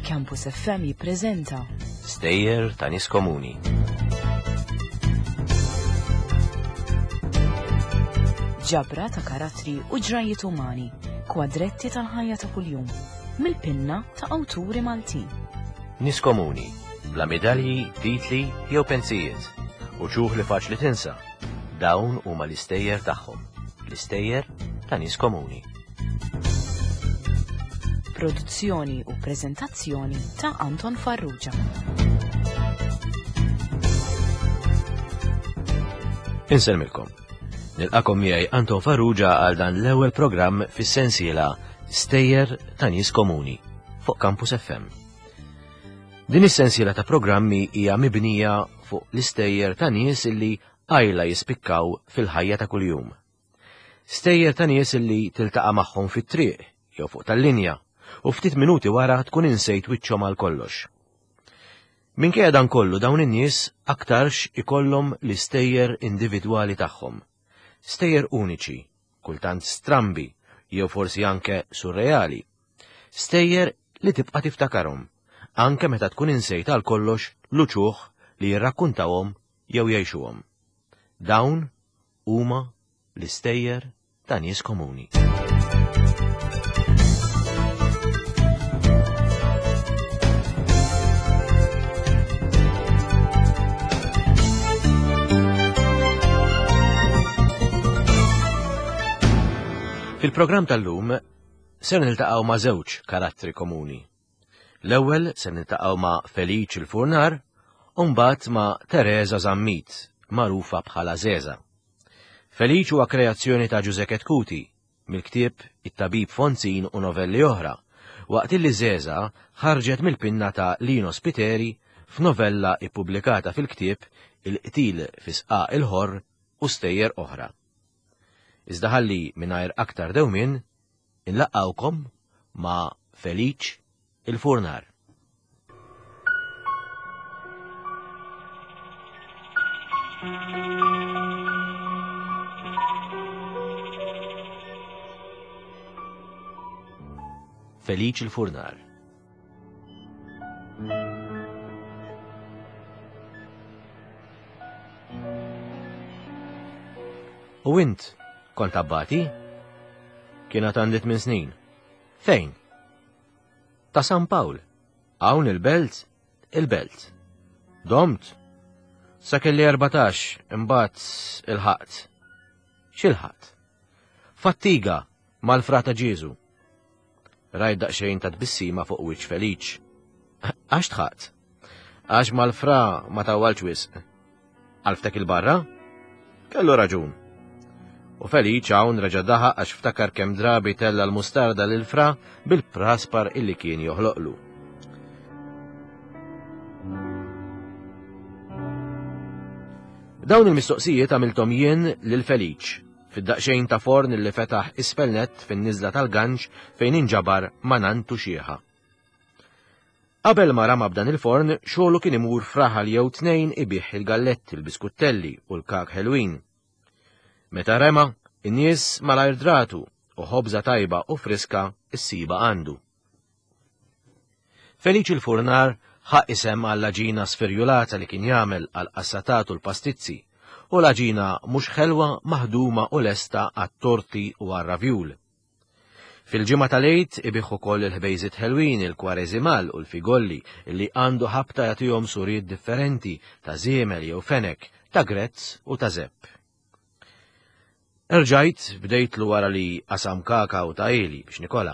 Campus FM jippreżenta Stejjer ta' nies komuni. Ġabra ta' karattri u ġrajiet umani, kwadretti tal-ħajja ta' kuljum, mill-pinna ta' awturi Maltin. Nies komuni, bla midalji, titli jew pensijiet, uċuħ li faċli tinsa. Dawn huma l-istejjer tagħhom, l-istejjer ta' nies komuni. Produzzjoni u preżentazzjoni ta' Anton Farrugia. Insellmilkom. Nilqakom miegħi Anton Farrugia għal dan l-ewwel programm fis-sensiela Stejjer ta' Nies Komuni fuq Campus FM. Din is-sensiela ta' programmi hija mibnija fuq l-istejjer ta' nies illi qajla jispikkaw fil-ħajja ta' kuljum. Stejjer ta' nies illi tiltaqa' magħhom fit-triq jew fuq tal-linja u ftit minuti wara tkun insejt wiċċhom għal kollox. Minkejja dan kollu dawn in-nies aktarx ikollhom l-istejjer individwali tagħhom. Stejjer uniċi, kultant strambi jew forsi anke surreali. Stejjer li tibqa' tiftakarhom, anke meta tkun insejt għal kollox l-uċuħ li jirrakkuntawhom jew jgħixuhom. Dawn huma l-istejjer ta' nies komuni. Fil-programm tal-lum ser niltaqgħu ma' żewġ karattri komuni. L-ewwel se niltaqgħu ma' Feliċ il-Furnar u mbagħad ma' Tereża Zammit, magħrufa bħala Żeża. Feliċ huwa kreazzjoni ta' Ġużè Chetcuti mill-ktieb It-Tabib Fonzin u Novelli Oħra, waqt illi Żeża ħarġet mill-pinna ta' Lino Spiteri f'novella ippubblikata fil-ktieb Il-Qtil fi Sqaq il-Ħorr u Stejjer Oħra. Iżda ħalli mingħajr aktar dewmien Inlaqqgħukom ma' Feliċ il-Furnar. Feliċ il-Furnar. U int kont abbati? Kien għad għandi tmien snin. Fejn? Ta' San Pawl. Hawn il-belt? Il-belt. Domt? Sa kelli 14, imbagħad ilħaqt. X'ilħaqt? Fattiga mal-frata Ġieżu. Rajt daqsxejn ta' tbissima fuq wiċċ Feliċ. Għax tħaqt? Għax mal-fra ma tawwalx wisq. Għalftek il-barra? Kellu raġun. U Feliċ hawn reġa' daħaq għax ftakar kemm drabi tella l-mustarda lil fra bil-praspar illi kien joħloqlu. Dawn il-mistoqsijiet għamilthom jien lil Feliċ fid-daqsxejn ta' forn li fetaħ isfel nett fin-niżla tal-ganċ fejn inġabar ma' nantu xieħa. Qabel ma rama b'dan il-forn, xogħlu kien imur f'raħal jew tnejn ibigħ il-galletti, il-biskuttelli u l-kak ħelwin. Meta rema, in-nies malajr dratu u ħobża tajba u friska ssibha għandu. Feliċi l-Furnar ħa isem għall-għaġina sfirjulata li kien jagħmel għall-qassatat u l-pastizzi u l-għaġina mhux ħelwa maħduma u lesta għat-torti u għar-ravjul. Fil-ġimgħa tal-Għid ibigħ ukoll il-ħbejżiet ħelwin, il-kwareżimal u l-figolli li għandu ħabta jagħtihom suriet differenti ta' żiemel jew fenek, ta' grezz u ta' zepp. Erġajt bdejtlu wara li qasam kaka u ta' ili biex nikola.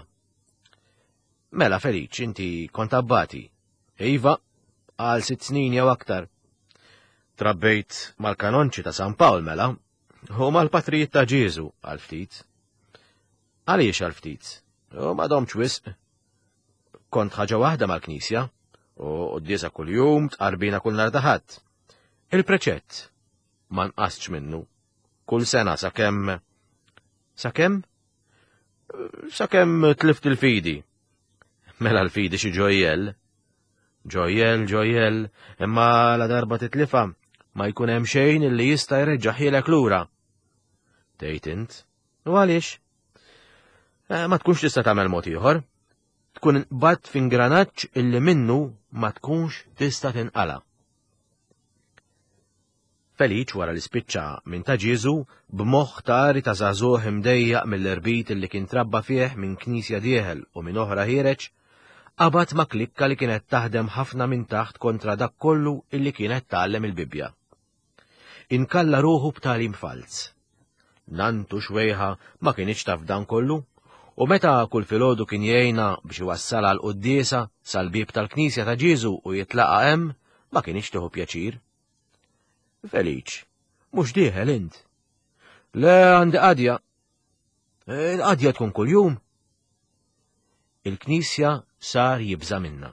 Mela Feliċ, inti kont abbati. Iva, għal sitt snin jew aktar. Trabbejt mal-kanonċi ta' San Pawl mela, U mal-patrijiet ta' Ġieżu għal ftit. Għaliex għal ftit? U ma domx wisq. Kont ħaġa waħda mal-knisja, u quddiesa kuljum, tqarbina kull nhar ta' Ħadd. Il-preċett ma nqasx minnu. Kull sena sakemm sakemm sakemm tlift il-fidi. Mela l-fidi xi ġojjel. Ġojjel, ġojjel, imma la darba titlifa, ma jkun hemm xejn li jista' jreġġaħielek lura. Tgħid int, u għaliex? Eh, ma tkunx tista' tagħmel mod ieħor. Tkun inqbadt f'ingranaġġ illi minnu ma tkunx tista' tinqala'. Feliċ wara li spiċċa minn ta' Ġieżu b'moħħ tari ta' żagħżugħ imdejjaq mill-irbit illi kien trabba fih minn knisja dieħel u minn oħra ħiereġ, qabad ma' klikka li kienet taħdem ħafna minn taħt kontra dak kollu illi kienet tgħallem il-Bibbja. Inkalla ruħu b'tagħlim falz. Nantu xwejħa ma kinitx taf dan kollu, u meta kull filgħodu kien jgħinha biex iwassalha l-quddiesa sal-bieb tal-knisja ta' Ġieżu u jitlaqa' hemm, ma kinitx tieħu pjaċir. Feliċ, mhux dieħel int. Le għandi qadja. Il-qadja tkun kuljum. Il-knisja sar jibża' minnha.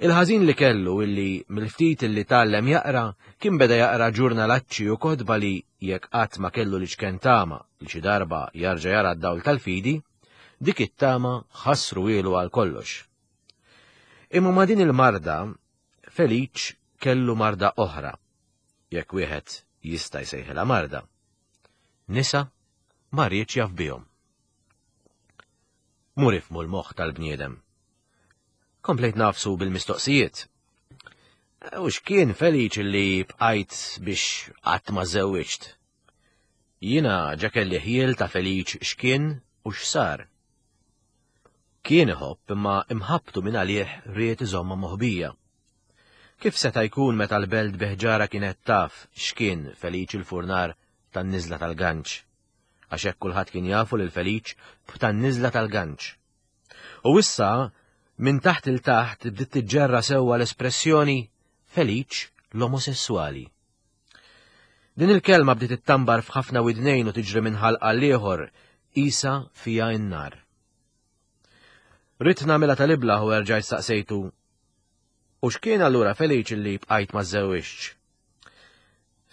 Il-ħażin li kellu illi mill-ftit illi tgħallem jaqra kien beda jaqra ġurnalacċi u kotba li jekk qatt ma kellu l-iċken tama li xi darba jarġa' jara d-dawl tal-fidi, dik it-tama ħassruhielu għal kollox. Imma ma' din il-marda, Feliċ kellu marda oħra, jekk wieħed jista' jsejħilha marda. Nisa ma riedx jaf bihom. Mur ifhmu l-moħħ tal-bniedem. Komplejt nafsu bil-mistoqsijiet. U x'kien Feliċ li bqajt biex qatt ma żewwiġt? Jiena ġa kelli ħjiel ta' Feliċ x'kien u x'sar. Kien iħobb imma imħabbtu minn għalih ried iżommha moħbija. Kif seta' jkun meta l-belt bi ħġarha kienet taf x'kien Feliċ il-furnar tan-niżla tal-Ganċ? Għax hekk kulħadd kien jafu lil Feliċ b'tan-niżla tal-Ganċ. U issa, minn taħt il taħt bdiet tiġġerra sewwa l-espressjoni Feliċ l-omosessuali. Din il-kelma bdiet ittambar f'ħafna widnejn u tiġri minn ħalq għal ieħor qisha fiha n-nar. Ridt nagħmilha tal-iblah u erġajt staqsejtu, U x'kien allura Feliċ li bqajt ma żżewwiġtx?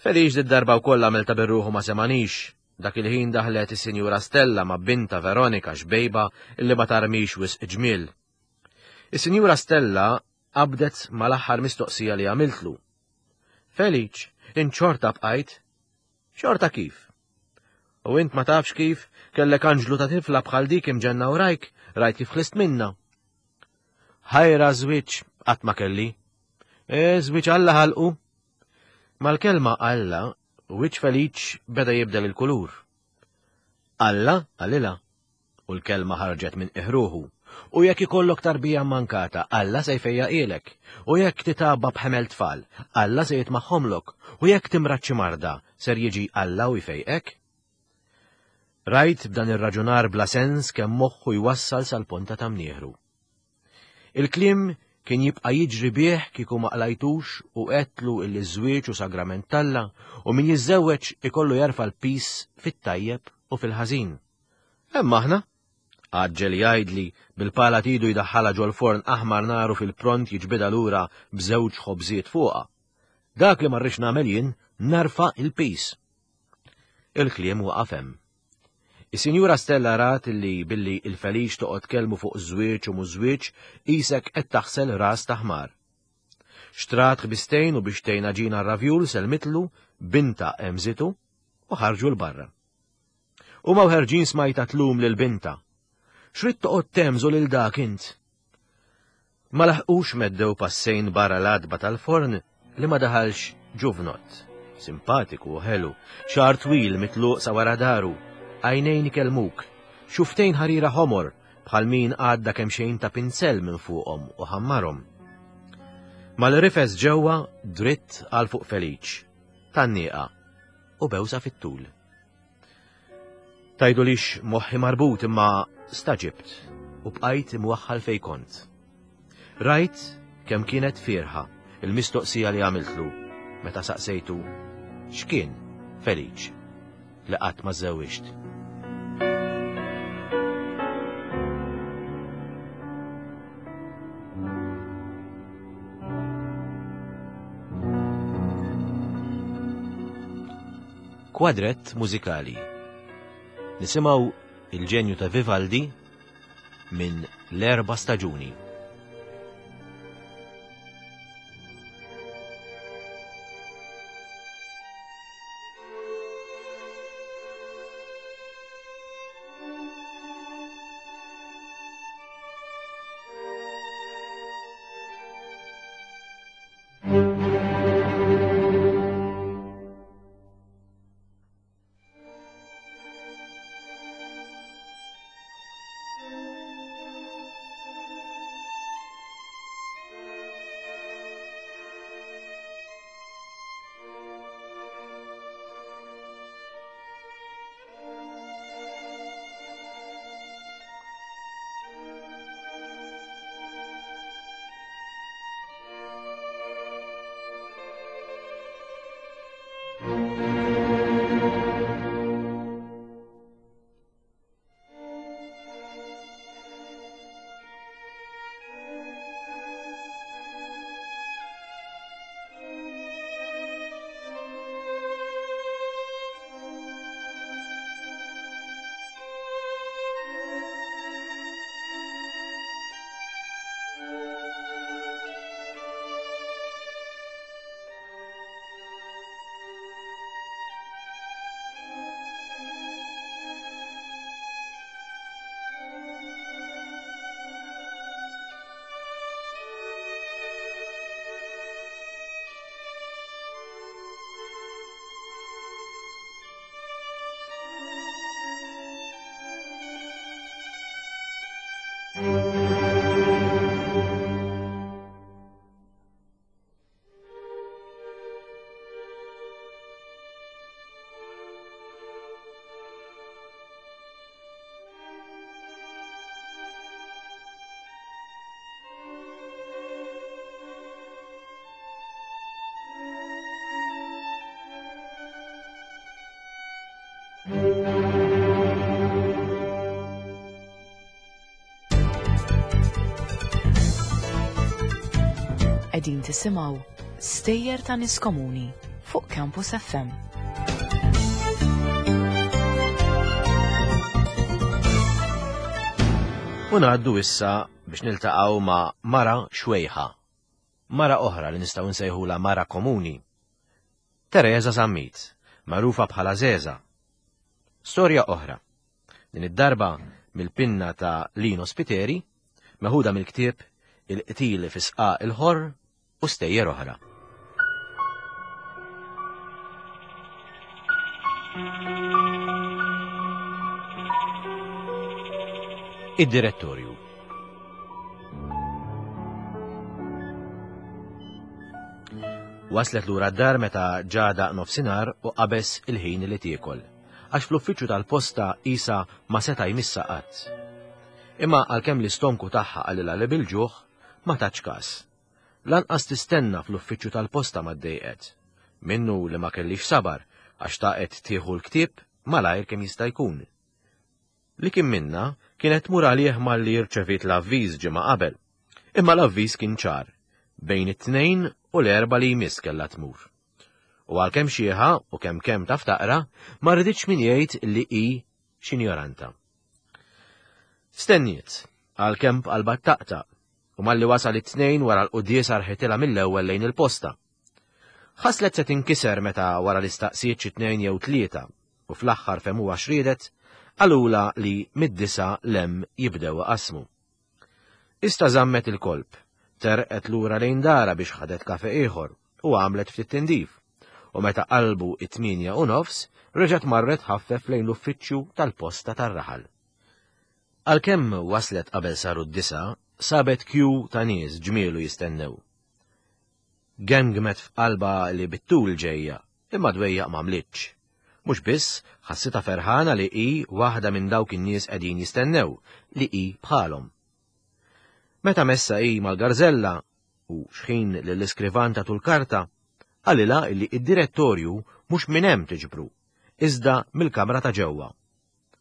Feliċ did-darba wkoll għamel ta' birruħu ma semanix. Dak il-ħin daħlet is-Sinjura Stella ma' binta Veronika xbejba li ma tarmix wisq ġmiel. Is-Sinjura Stella qabdet mal-aħħar mistoqsija li għamiltlu. Feliċ, int xorta bqajt? Xorta kif? U int ma tafx kif kellek anġlu ta' tifla bħal dik imġenna wrajk, rajt kif ħlist minna. Ħajra żwieġ qatt ma kelli. E, żwieġ Alla ħalqu. Mal-kelma Alla, wiċċ Feliċ beda jibdel il-kulur. Alla qalilha, u l-kelma ħarġet minn iħruħu. U jekk ikollok tarbija mankata, Alla se jfejjaqilek. U jekk titgħabba b'ħemel tfal, Alla se jitmagħhomlok. U jekk timrad xi marda, ser jiġi Alla u jfejqek. Rajt b'dan ir-raġunar bla sens kemm moħħu jwassal sal-ponta ta' mnieħru. Il-kliem kien jibqa' jiġri bih kieku ma qlajtux u għedtlu illi ż-żwieġ hu sagrament t'Alla u min jiżżewweġ ikollu jerfa' l-piż fit-tajjeb u fil-ħażin. Hemm aħna! Għaġġel jgħidli bil-pala t'idu jdaħħalha ġol-forn aħmar naru fil-pront jiġbidha lura b'żewġ ħobżiet fuqha. Dak li ma rridx nagħmel jien nerfa' l-piż. Il-kliem waqaf hemm. Is-Sinjura Stella rat li billi il-Feliċ toqgħod tkellmu fuq żwieġ u mhux żwieġ qisek qed taħsel ras ta' ħmar. Xtrat ħbistejn u biex tgħin għaġina r-ravjul sellmitlu bintha hemżitu u ħarġu 'l barra. Huma u ħerġin smajtha tlum lil bintha. X'ridt toqgħod tehmżu lil dak int? Ma laħqux meddew passejn barra l-għatba tal-forn li ma daħalx ġuvnott, simpatiku u ħelu, xagħar twil mitluq sa wara daru, għajnejn ikellmuk, xufftejn ħarira ħomor bħal min għadda kemxejn ta' pinzell minn fuqhom u ħammarhom. Mal-rifes ġewwa dritt għal fuq Feliċ, tgħanniqa u bewsa fit-tul. Tgħidulix moħħi marbut imma staġibt u bqajt imwaħħal fejn kont. Rajt kemm kienet fierħa il-mistoqsija li għamiltlu meta saqsejtu x'kien Feliċ li qatt ma żżewwiġt. Kwadrett mużikali. Nisimgħu il-ġenju ta' Vivaldi minn L-Erba' Staġuni. Qegħdin tisimgħu Stejjer ta' Nies Komuni fuq Campus FM. U ngħaddu issa biex niltaqgħu ma' mara xwejħa. Mara oħra li nistgħu nsejħula mara komuni. Teresa Zammit, magħrufa bħala Zeza. Storja oħra. Din id-darba mill-pinna ta' Lino Spiteri, meħuda mill-ktieb Il-qtil fi sqaq il-ħorr u stejjer oħra. Id-direttorju. Waslet lura d-dar meta ġada nofsinhar u qabeż il-ħin li tiekol. Għax fl-uffiċċju tal-posta qisha ma seta' jmissha qatt. Imma għalkemm l-istonku tagħha qalilha li bil-ġuħ, ma tatx kas. Lanqas tistenna fl-uffiċċju tal-posta ma ddejqet. Minnu li ma kellhiex sabar għax xtaqet tieħu l-ktieb malajr kemm jista' jkun. Li kien minnha kienet tmur għalih malli rċeviet l-avviż ġimgħa qabel. Imma l-avviż kien ċar, bejn it-Tnejn u l-Erbgħa li jmiss kellha tmur. U għalkemm xieħa u kemm kemm taf taqra, ma riditx min jgħid li hi x'injoranta. Stenniet, għalkemm b'qalbha taqtaq, u malli wasal it-tnejn wara l-quddiesa rħitilha mill-ewwel lejn il-posta. Ħaslet se tinkiser meta wara li staqsiet xi tnejn jew tlieta u fl-aħħar fehmuha x'riedet, qalulha li mid-disgħa 'l hemm jibdew iqassmu. Ista żammet il-kolp, terqet lura lejn darha biex ħadet kafe ieħor u għamlet ftit tindif, u meta qalbu it-8:30 reġgħet marret tħaffef lejn l-uffiċċju tal-posta tar-raħal. Għalkemm waslet qabel saru d-disgħa, sabet kju ta' nies ġmielu jistennew. Gemgmet f'qalbha li bit-tul ġejja, imma dwejjaq m'għamlitx. Mhux biss, ħassitha ferħana li hi waħda minn dawk in-nies qegħdin jistennew, li hi bħalhom. Meta messha hi mal-garżella, u xħin lill-iskrivan tatu l-karta, qalilha illi id-direttorju mhux minn hemm tiġbru, iżda mill-kamra ta' ġewwa.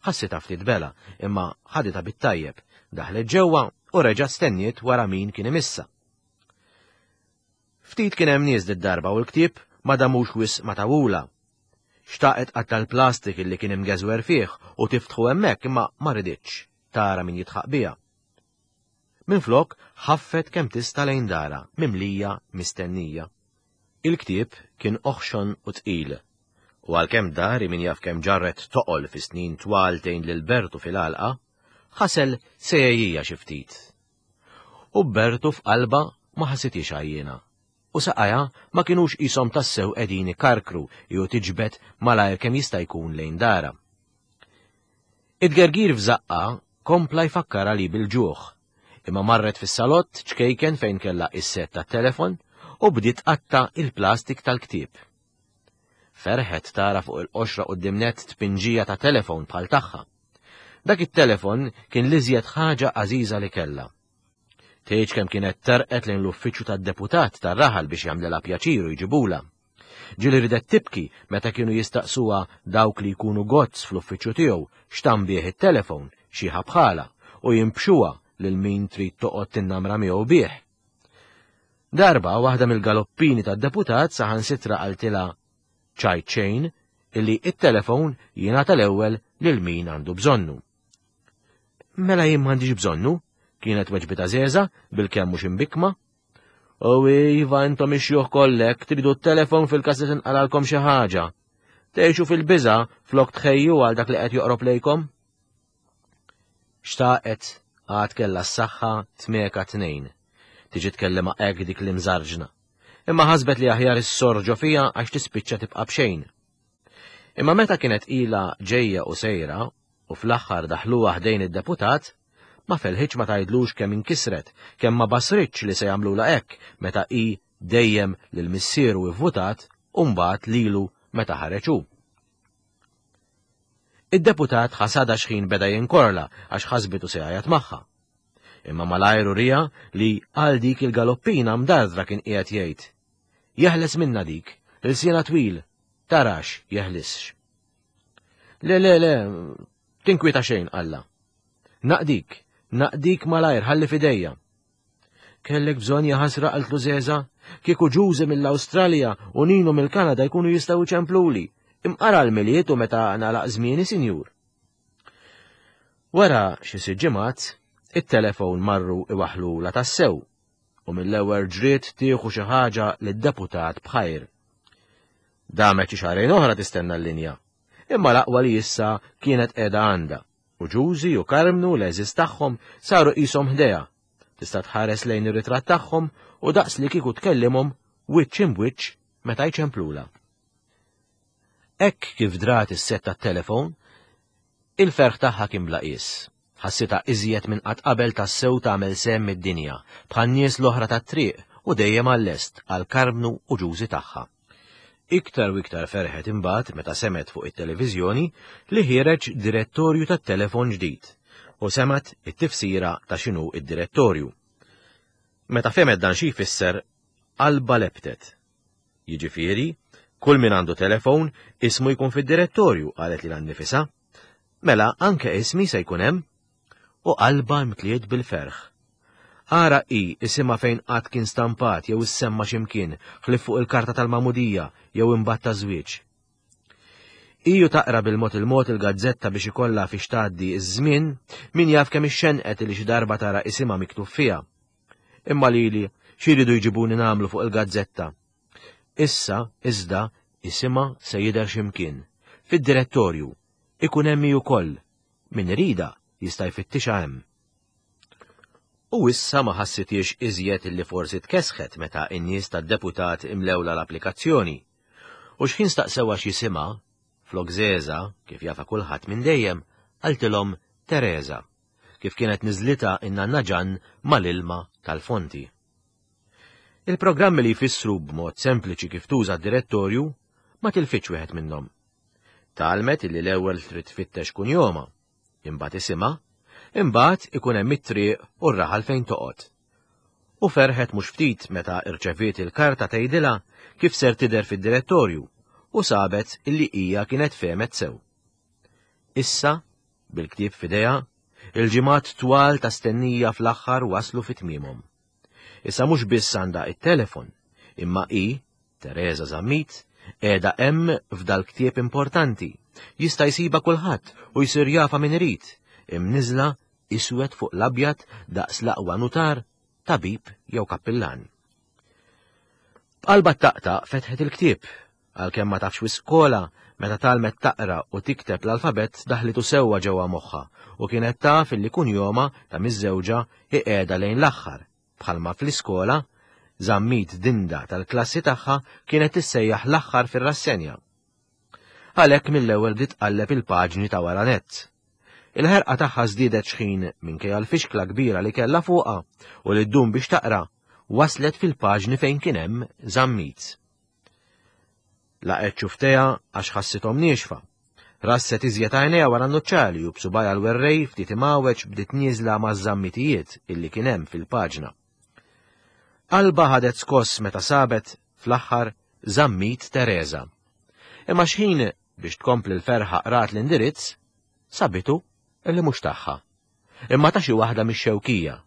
Ħassitha ftit bela, imma ħaditha bit-tajjeb, daħlet ġewwa u reġgħet stenniet wara min kien imissha. Ftit kien hemm nies did-darba u l-ktieb ma damux wisq ma tawulha. Xtaqet tqatta' l-plastik illi kien imgeżwer fih u tiftħu hemmhekk imma ma riditx tara min jidħaq biha. Minflok ħaffet kemm tista' lejn darha mimlija mistennija. Il-ktieb kien oħxon u tqil, u għalkemm dari min jaf kemm ġarret toqol fi snin twal tgħin lil Bertu fil-għalqa, ħasel se jgħejjija xi ftit. U Bertu f'qalbha ma ħassithiex għajjiena, u saqajha ma kinux qishom tassew qegħdin ikarkru jew tiġbed malajr kemm jista' jkun lejn darha. It-tgergir f'żaqqha kompla jfakkarha li bil-ġuħ, imma marret fis-salott ċkejken fejn kellha is-sett tat-telefon u bdiet tqatta' il-plastik tal-ktieb. Ferħet tara fuq il-qoxra quddiem nett tpinġija ta' telefon bħal tagħha. Dak it-telefon kien l-iżjed ħaġa għażiża li kellha. Tgħidx kemm kienet terqet lejn l-uffiċċju tad-deputat tar-raħal biex jagħmlilha pjaċir u jġibulha. Ġieli ridet tibki meta kienu jistaqsuha dawk li jkunu gozz fl-uffiċċju tiegħu x'tam bih it-telefon, xieħa bħalha, u jimbxuha lil min trid toqgħod tinnamra miegħu bih. Darba waħda mill-galoppini tad-deputat saħansitra qaltilha ċajt xejn illi it-telefon jingħata l-ewwel lil min għandu bżonnu. Mela jien m'għandix bżonnu, kienet weġbita Zeza bil-kemm mhux imbikkma. U iva intom ix-xjuħ kollek tridu t-telefon fil-każ li tinqalalkom xi ħaġa. Tgħixu fil-biża' flok tħejju għal dak li qed joqrob lejkom. Xtaqet għad kellha s-saħħa tmeka tnejn. Tiġi tkellima hekk dik l-imżarġna. Imma ħasbet li aħjar issorr ġo fiha għax tispiċċa tibqa' b'xejn. Imma meta kienet ilha ġejja u sejra u fl-aħħar daħluha ħdejn id-deputat, ma felħitx ma tgħidlux kemm inkisret, kemm ma basritx li se jagħmlulha hekk meta hi dejjem lil missieru ivvutat u mbagħad lilu meta ħareġ hu. Id-deputat ħasadha x'ħin beda jinkorla għax ħasbitu se jgħajjat magħha. Imma malajr uriha li għal dik il-galoppina mdardra kien qiegħed jgħid. Jeħles minnha dik, ilsienha twil, tarax jeħlisx. Le, le, le, tinkwieta xejn, qalla. Naqdik, naqdik malajr ħalli fidejja. Kellek bżonn jaħasra qaltlu Żeża, kieku Ġużi mill-Awstralja u Ninu mill-Kanada jkunu jistgħu jċempluli. Imqara l-Milied u meta nagħlaq żmieni, sinjur. Wara xi sitt ġimgħat, it-telefon marru iwaħħlulha tassew u mill-ewwel ġriet tieħu xi ħaġa lid-deputat b'ħajr. Damet xi xahrejn oħra tistenna l-linja, imma l-aqwa li issa kienet qiegħda għandha u Ġużi u Karmnu l-għeżież tagħhom saru qishom ħdejha. Tista' tħares lejn ir-ritratt tagħhom u daqs li kieku tkellimhom wiċċ imb'wiċċ meta jċemplulha. Hekk kif drat is-sett tat-telefon, il-ferħ tagħha kien bla qies. Ħassitha iżjed minn qatt qabel tassew tagħmel sehem mid-dinja, bħan-nies l-oħra tat-triq u dejjem għal-lest għal Karmnu u Ġużi tagħha. Iktar u iktar ferħet imbagħad meta semgħet fuq it-televiżjoni li ħiereġ direttorju tat-telefon ġdid u semgħet it-tifsira ta' x'inhu d-direttorju. Meta fehmet dan xi jfisser, qalbha lebtet. Jiġifieri, kull min għandu telefon, ismu jkun fid-direttorju, qalet lilha nnifisha. Mela anke ismi se jkun hemm? U qalbha mtliet bil-ferħ. Ara hi isimha fejn qatt kien stampat jew issemma xi mkien ħlief fuq il-karta tal-magħmudija jew imbagħad taż-żwieġ. Hi u taqra bil-mod il-mod il-gazzetta biex ikollha fiex tgħaddi ż-żmien, min jaf kemm ixxenqet li xi darba tara isimha miktub fiha. Imma lili xi jridu jġibuni nagħmlu fuq il-gazzetta? Issa, iżda, isimha se jidher xi mkien. Fid-direttorju. Ikun hemm hi wkoll. Min iridha jista' jfittixha hemm. U issa ma ħassithiex iżjed illi forsi tkessħet meta n-nies tad-deputat imlewlha l-applikazzjoni. U x'ħin staqsewha x'jisimha, flok Żeża, kif jafha kulħadd minn dejjem, qaltilhom Tereża, kif kienet niżlitha n-nanna Ġann mal-ilma tal-fonti. Il-programmi li jfissru b'mod sempliċi kif tuża d-direttorju ma tilfitx wieħed minnhom. Tgħallmet illi l-ewwel trid tfittex kunjomha, imbagħad isimha, imbagħad ikun hemm it-triq u r-raħal fejn toqgħod. U ferħet mhux ftit meta rċeviet il-karta tgħidilha kif ser tidher fid-direttorju u sabet illi hija kienet fehmet sew. Issa, bil-ktieb f'idejha, il-ġimgħat twal ta' stennija fl-aħħar waslu fi tmiemhom. Issa mhux biss għandha it-telefon, imma hi, Tereża Zammit, qiegħda hemm f'dal-ktieb importanti. Jista' jsibha kulħadd u jsir jafha min irid, imniżżla iswed fuq l-abjad daqs l-aqwa nutar, tabib jew kappillan. B'qalbha ttaqtaq fetħet il-ktieb, għalkemm ma tafx wisq kola, meta tgħallmet taqra u tikteb l-alfabett daħlitu sewwa ġewwa moħħha u kienet taf illi kunjomha ta' miżżewġa hi qiegħda lejn l-aħħar, bħalma fl-iskola, Zammit Dinda tal-klassi tagħha kienet tissejjaħ l-aħħar fir-rassenja. Għalhekk mill-ewwel bdiet tqalleb il-paġni ta' wara nett. Il-ħerqa tagħha żdiedet xħin, minkejja l-fixkla kbira li kellha fuqha u li ddum biex taqra, waslet fil-paġni fejn kien hemm Zammit. Laqgħet xuftejha għax ħassithom niexfa. Rasset iżjed għajnejha wara n-nuċċali u b'subajha l-werrej ftit imgħawweġ bdiet nieżla maż-żammitijiet illi kien hemm fil-paġna. Qalbha ħadet skoss meta sabet, fl-aħħar, Zammit Tereża. Imma xħin, biex tkompli l-ferħa qrat l-indirizz, sabitu illi mhux tagħha. Imma ta' xi waħda mix-Xewkija.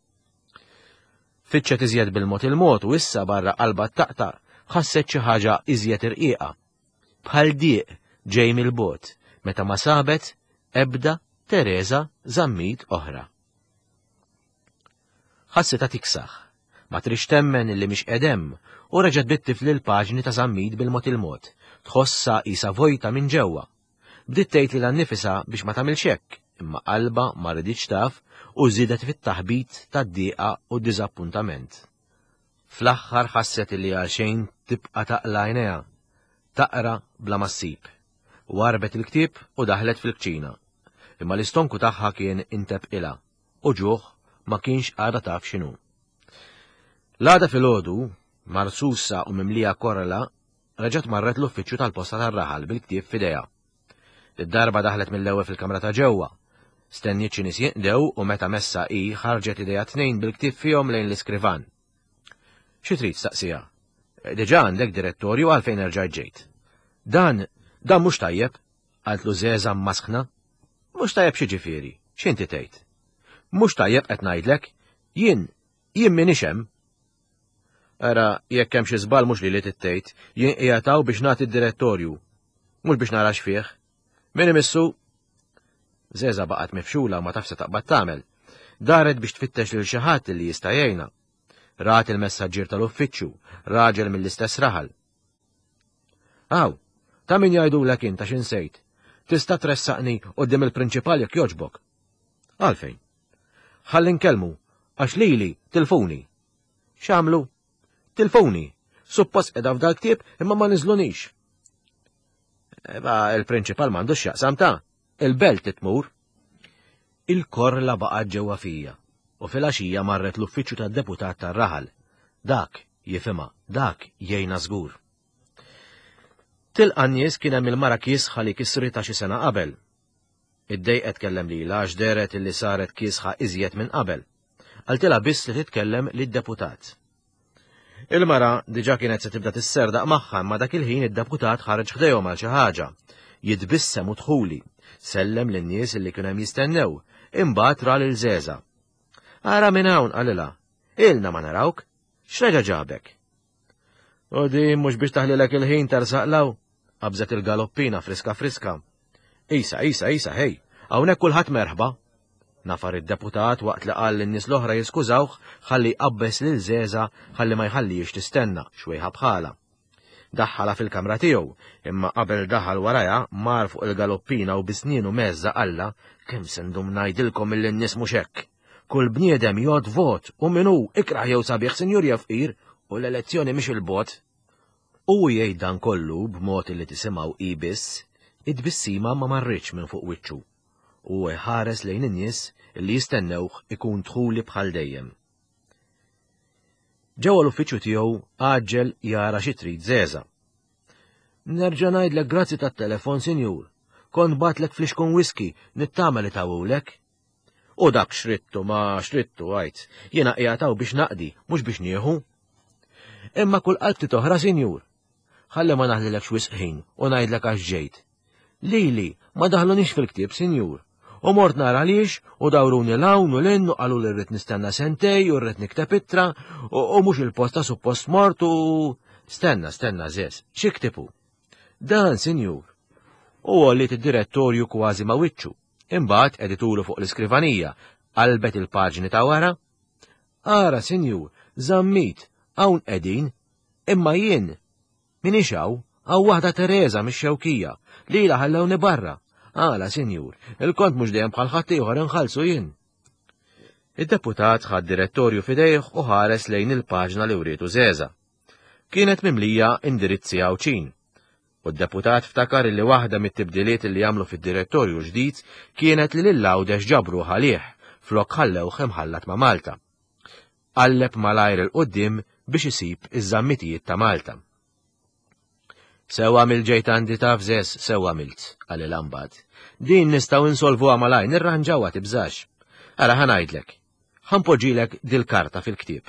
Fittxet iżjed bil-mod il-mod u issa barra qalbha ttaqtaq ħasset xi ħaġa iżjed irqiqa. Bħal dieq ġej mill-bogħod meta ma sabet ebda Tereża Zammit oħra. Ħassitha tiksaħ. Ma tridx temmen illi mhix qed hemm u reġgħet bdiet tifli l-paġni ta' Zammit bil-mod il-mod. Tħossha qisha vojta minn ġewwa. Bdiet tgħid lilha nnifisha biex ma tagħmilx hekk, imma qalbha ma riditx taf u żiedet fit-taħbit tad-dieqa u d-diżappuntament. Fl-aħħar ħasset illi għalxejn tibqa' taqla' għajnejha, taqra bla ma ssib. Warrbet il-ktieb u daħlet fil-kċina. Imma l-istonku tagħha kien intebqilha u ġuħ ma kienx għadha taf x'inhu. L-għada filgħodu, marsusa u mimlija korla, Reġgħet marret l-uffiċċju tal-posta tar-raħal bil-ktieb f'idejha. Id-darba daħlet mill-ewwel fil-kamra ta' ġewwa. Stenniet xi nies jinqdew u meta messha hi ħarġet idejha tnejn bil-ktieb fihom lejn l-iskrivan. Xi trid staqsiha? Diġà għandek direttorju għalfejn erġajt ġejt. Dan, dan mhux tajjeb, qaltlu Żeża mmasħna. Mhux tajjeb x'jiġifieri, x'inti tgħid? Mhux tajjeb qed ngħidlek, jien, jien m'iniex hemm. Ara, jekk hemm xi żball mhux lili tittejt, jien qiegħed hawn biex nagħti d-direttorju. Mhux biex nara x'fih. Min imissu? Zeża baqgħet mifxula u ma taf se taqbad tagħmel. Daret biex tfittex lil xi ħadd li jista' jgħinha. Rat il-messaġġier tal-uffiċċju, raġel mill-istess raħal. Aw, ta' min jgħidulek int għax insejt. Tista' tressaqni quddiem il-prinċipal jekk jogħġbok. Għalfejn? Ħalli nkellmu, għax lili tilfuni. X'għamlu? Tilfuni. Suppost qiegħda f'dal-ktieb imma ma niżlunix. Eba, il-prinċipal m'għandux x'jaqsam ta' il-belt tmur. Il-korla baqgħet ġewwa fija u filgħaxija marret l-uffiċċju tad-deputat tar-raħal. Dak jifhimha, dak jgħinha żgur. Tilqa' n-nies kien hemm il-mara kiesħa li kisritha xi sena qabel. Iddejqet tkellem lilha għax dehret illi saret kiesħa iżjed minn qabel. Qaltilha biss li titkellem lid-deputat. Il-mara diġà kienet se tibda tisserdaq magħha imma dak il-ħin id-deputat ħareġ ħdejhom għal xi ħaġa. Jitbissem u dħuli. Sellem lin-nies illi kienu hemm jistennew. Imbagħad ra lil Żeża. Ara minn hawn qalilha. Ilna ma narawk. X'reġa' ġabek? U din mhux biex taħlilek il-ħin tersaq law, qabżet il-galoppina friska friska. Isa, isa, isa, hej, hawnhekk kulħadd merħba. Nafar id-deputat waqt li qal lin-nies l-oħra jiskużawh ħalli jqabbeż lil Żeża ħalli ma jħallihiex tistenna, xwejħa bħalha. Daħħalha fil-kamra tiegħu, imma qabel daħal warajha mar fuq il-galoppina u bi snienu mgħeżża qallha, Kemm se ndum ngħidilkom illi n-nies mhux hekk. Kull bniedem jgħodd vot u min hu, ikrah jew sabiħ, sinjur jew fqir, u l-elezzjoni mhix 'il bogħod. U hu jgħid dan kollu b'mod illi tisimgħu hi biss, it-tbissima ma marritx minn fuq wiċċu, u hu jħares lejn in-nies illi jistennewh ikun dħuli bħal dejjem. Ġewwa l-uffiċċju tiegħu għaġġel jara xi trid Żeża. Nerġa' ngħidlek grazzi tat-telefon, sinjur. Kont batlek flixkun whisky, nittama li tawulek. U dak xrittu ma xrittu għajt, jiena qiegħed hawn biex naqdi, mhux biex nieħu. Imma kull qalb oħra, sinjur. Ħalli ma naħlilekx wisq ħin u ngħidlek għax ġejt. Lili ma daħlunix fil-ktieb, sinjur. U mort nara għaliex u dawruni l-hawn u l-in u qalu li rrid nistenna sentej u rrid nikteb ittra u mhux il-posta suppost mort u Stenna, stenna, żeż, xi ktibu? Dan, sinjur. U għolliet id-direttorju kważi ma' wiċċu. Imbagħad qegħditulu fuq l-iskrivanija, qalbet il-paġni ta' wara. Ara, sinjur, Zammit, hawn qegħdin, imma jien minix hawn, hawn waħda Tereża mix-Xewkija, lilha ħallewni barra. Għala, sinjur, il-kont mhux dejjem bħal ħaddieħor inħallsu jien. Id-deputat ħa d-direttorju f'idejh u ħares lejn il-paġna li wrietu Żeża. Kienet mimlija indirizzi Għawdxin. U d-deputat ftakar illi waħda mit-tibdiliet illi għamlu fid-direttorju ġdid kienet li lil Għawdex ġabruh għalih, flok ħallewh imħallat ma' Malta. Qalleb malajr 'il quddiem biex isib iż-żammitijiet ta' Malta. Sew għamilt ġejt għandi taf Żeż, sew għamilt, qalilha mbagħad. Din nistgħu insolvuha malajr, nirranġawha tibżax. Ara ħa ngħidlek. Ħa npoġġilek dil-karta fil-ktieb.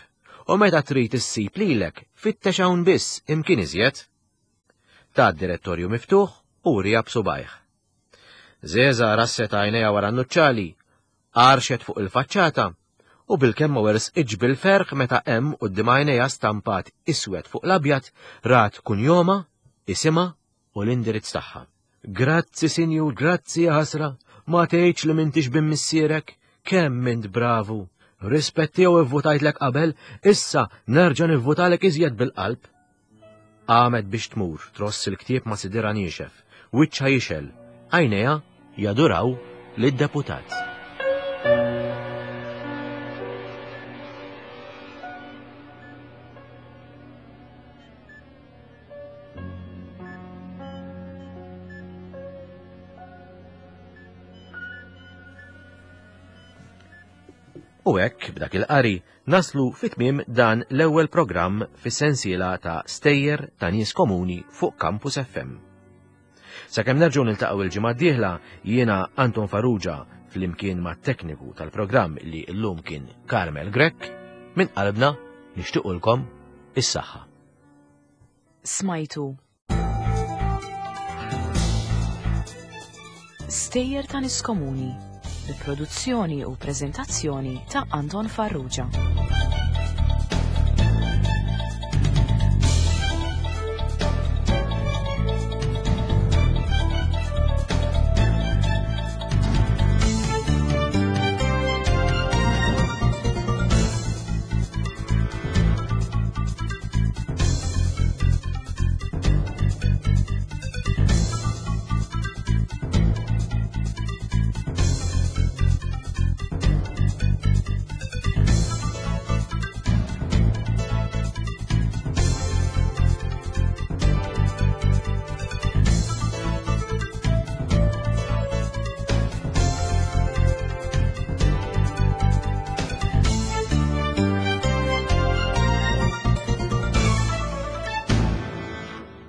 U meta trid issib lilek, fittex hawn biss, imkien iżjed. Ta d-direttorju miftuħ u wriha b'subgħajh. Żeża rasset għajnejha wara n-nuċċali, għarxet fuq il-faċċata u bilkemm ma wersqitx bil-ferħ meta hemm quddiem għajnejha stampat iswed fuq l-abjad rat kunjomha, isimha u l-indirizz tagħha. Grazzi, sinjur, grazzi jaħasra, ma tgħidx li m'intix bin missierek, kemm int bravu. Rispett tiegħu ivvutajtlek qabel, issa nerġa' nivvutalek iżjed bil-qalb. Qamet biex tmur, tross il-ktieb ma' sidirha niexef, wiċċha jixgħel, għajnejha jaduraw lid-deputat. U hekk, b'dak il-qari, naslu fi tmiem dan l-ewwel programm fis-sensiela ta' Stejjer ta' Nies Komuni fuq Campus FM. Sakemm nerġgħu niltaqgħu il-ġimgħa d-dieħla, jiena Anton Farrugia flimkien mat-tekniku tal-programm li llum kien Carmel Grech, minn qalbna nixtiequlkom is-saħħa. Smajtu Stejjer ta' Nies Komuni bi produzzjoni u preżentazzjoni ta' Anton Farrugia.